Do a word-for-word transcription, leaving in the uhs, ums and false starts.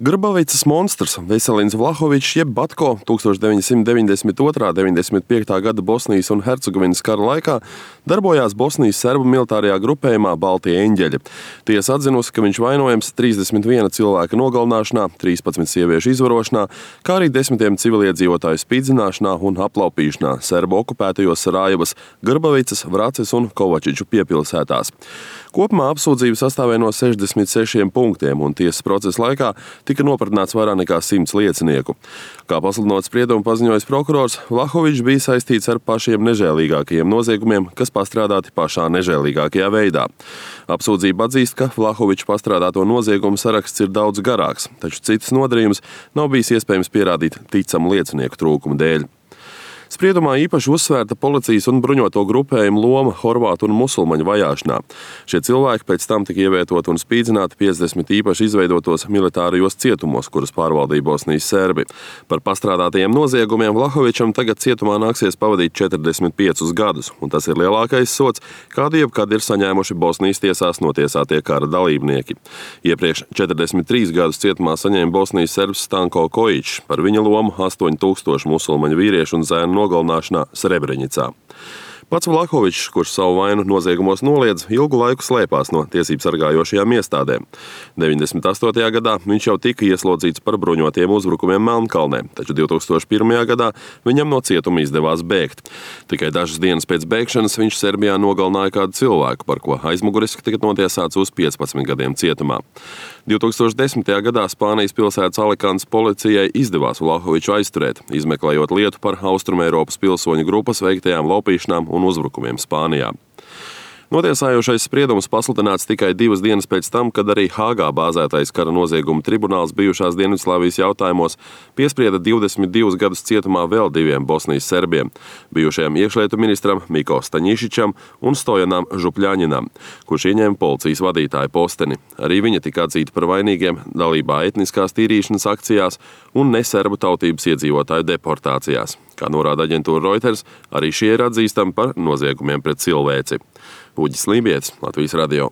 Grbavicas monstrs Veselins Vlahovičs jeb Batko tukstovš deviņsimt deviņdesmit otrā - deviņdesmit piektā gada Bosnijas un Hercegovinas kara laikā darbojās Bosnijas serbu militārajā grupējumā Baltie eņģeļi. Tiesa atzinusi, ka viņš vainojams trīsdesmit viena cilvēka nogalināšanā, trīspadsmit sieviešu izvarošanā, kā arī desmitiem civiliedzīvotāju spīdzināšanā un aplaupīšanā serbu okupētajos Sarajevas, Grbavicas, Vraces un Kovačiču piepilsētās. Kopumā apsūdzība sastāvēja no sešdesmit sešiem punktiem, un tiesas procesa laikā tika nopratināts vairāk nekā simts liecinieku. Kā pasludinot spriedumu paziņojis prokurors, Vlahovičs bija saistīts ar pašiem nežēlīgākajiem noziegumiem, kas pastrādāti pašā nežēlīgākajā veidā. Apsūdzība atzīst, ka Vlahoviča pastrādāto noziegumu saraksts ir daudz garāks, taču citas nodarījumus nav bijis iespējams pierādīt ticamu liecinieku trūkuma dēļ. Spriedumā īpaši uzsvērta policijas un bruņoto grupējumu loma horvātu un musulmaņu vajāšanā. Šie cilvēki pēc tam tika ievietoti un spīdzināti piecdesmit īpaši izveidotos militārajos cietumos, kurus pārvaldīja Bosnijas serbi. Par pastrādātajiem noziegumiem Vlahovičam tagad cietumā nāksies pavadīt četrdesmit piecus gadus, un tas ir lielākais sods, kādu jebkad ir saņēmuši Bosnijas tiesās notiesātie kara dalībnieki. Iepriekš četrdesmit trīs gadus cietumā saņēma Bosnijas serbs Stanko Kojičs par viņa lomu astoņi tūkstoši musulmaņu vīriešu un zēnu nogalināšanā Srebrenicā. Pats Vlahovičs, kurš savu vainu noziegumos noliedz, ilgu laiku slēpās no tiesību sargājošajām iestādēm. deviņdesmit astotajā gadā viņš jau tika ieslodzīts par bruņotiem uzbrukumiem Melnkalnē, taču divtūkstoš pirmajā gadā viņam no cietuma izdevās bēgt. Tikai dažas dienas pēc bēgšanas viņš Serbijā nogalināja kādu cilvēku, par ko aizmuguriski tika notiesāts uz piecpadsmit gadiem cietumā. divtūkstoš desmitajā gadā Spānijas pilsētas Alikantes policijai izdevās Vlahoviču aizturēt, izmeklējot lietu par Austrumeiropas pilsoņu grupas veiktajām laupīšanām un uzbrukumiem Spānijā. Notiesājošais spriedums pasludināts tikai divas dienas pēc tam, kad arī Hāgā bāzētais kara noziegumu tribunāls bijušās Dienvidslāvijas jautājumos piesprieda divdesmit divus gadus cietumā vēl diviem Bosnijas serbiem - bijušajam iekšlietu ministram Miko Staņišičam un Stojanam Župļaņinam, kurš ieņēma policijas vadītāja posteni. Arī viņa tika atzīta par vainīgiem dalībā etniskās tīrīšanas akcijās un neserbu tautības iedzīvotāju deportācijās. Kā norāda aģentūra Reuters, arī šie ir atzīstami par noziegumiem pret cilvēci. Uģis Lībietis, Latvijas radio.